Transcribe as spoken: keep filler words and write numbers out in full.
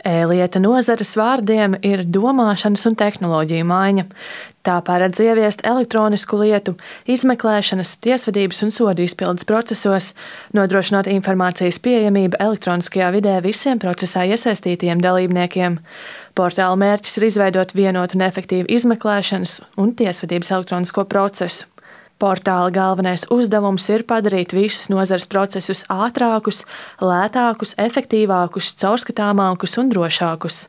E-lieta nozares vārdiem ir domāšanas un tehnoloģiju maiņa. Tā paredz ieviest elektronisku lietu, izmeklēšanas, tiesvedības un sodu izpildes procesos, nodrošinot informācijas pieejamību elektroniskajā vidē visiem procesā iesaistītajiem dalībniekiem. Portāla mērķis ir izveidot vienotu un efektīvu izmeklēšanas un tiesvedības elektronisko procesu. Portāla galvenais uzdevums ir padarīt visus nozares procesus ātrākus, lētākus, efektīvākus, caurskatāmākus un drošākus.